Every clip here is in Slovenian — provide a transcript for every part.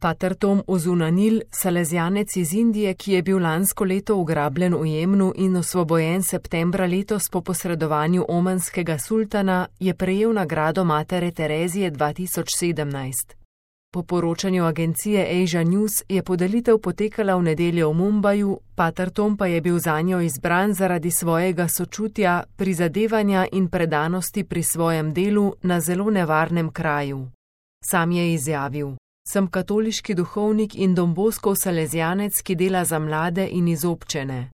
Pater Tom Ozunanil, salezjanec iz Indije, ki je bil lansko leto ugrabljen v Jemnu in osvobojen septembra letos po posredovanju omanskega sultana, je prejel nagrado Matere Terezije 2017. Po poročanju agencije Asia News je podelitev potekala v nedeljo v Mumbaju, Pater Tom pa je bil zanjo izbran zaradi svojega sočutja, prizadevanja in predanosti pri svojem delu na zelo nevarnem kraju. Sam je izjavil: "Sem katoliški duhovnik in Don Boskov salezjanec, ki dela za mlade in izobčene.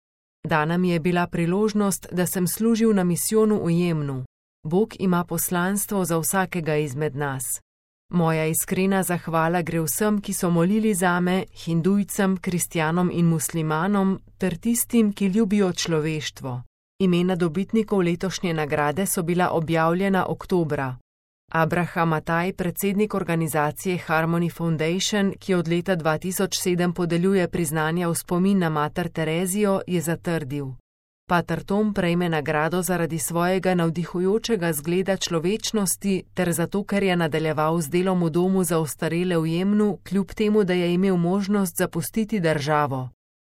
Dana mi je bila priložnost, da sem služil na misijonu v Jemnu. Bog ima poslanstvo za vsakega izmed nas. Moja iskrena zahvala gre vsem, ki so molili zame, hindujcem, kristjanom in muslimanom, ter tistim, ki ljubijo človeštvo." Imena dobitnikov letošnje nagrade so bila objavljena oktobra. Abraham Mataj, predsednik organizacije Harmony Foundation, ki od leta 2007 podeljuje priznanja v spomin na Mater Terezijo, je zatrdil: "Pater Tom prejme nagrado zaradi svojega navdihujočega zgleda človečnosti ter zato, ker je nadaljeval z delom v domu za ostarele v Jemnu, kljub temu, da je imel možnost zapustiti državo.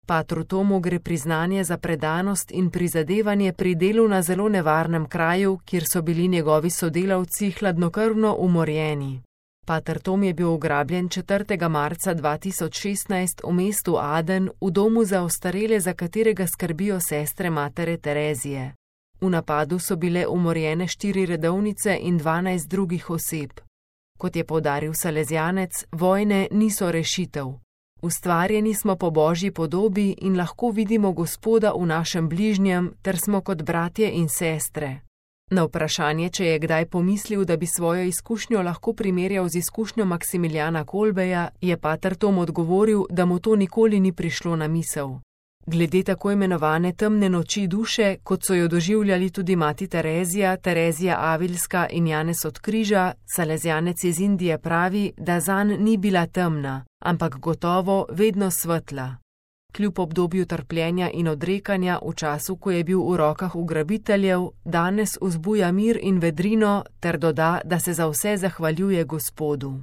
Patru Tomu gre priznanje za predanost in prizadevanje pri delu na zelo nevarnem kraju, kjer so bili njegovi sodelavci hladnokrvno umorjeni." Pater Tom je bil ugrabljen 4. marca 2016 v mestu Aden v domu za ostarele, za katerega skrbijo sestre Matere Terezije. V napadu so bile umorjene 4 redovnice in 12 drugih oseb. Kot je poudaril salezjanec, vojne niso rešitev. "Ustvarjeni smo po Božji podobi in lahko vidimo Gospoda v našem bližnjem, ter smo kot bratje in sestre." Na vprašanje, če je kdaj pomislil, da bi svojo izkušnjo lahko primerjal z izkušnjo Maksimiljana Kolbeja, je Pater Tom odgovoril, da mu to nikoli ni prišlo na misel. Glede tako imenovane temne noči duše, kot so jo doživljali tudi mati Terezija, Terezija Avilska in Janez od Križa, salezjanec iz Indije pravi, da zanj ni bila temna, ampak gotovo vedno svetla. Kljub obdobju trpljenja in odrekanja v času, ko je bil v rokah ugrabiteljev, danes vzbuja mir in vedrino ter doda, da se za vse zahvaljuje Gospodu.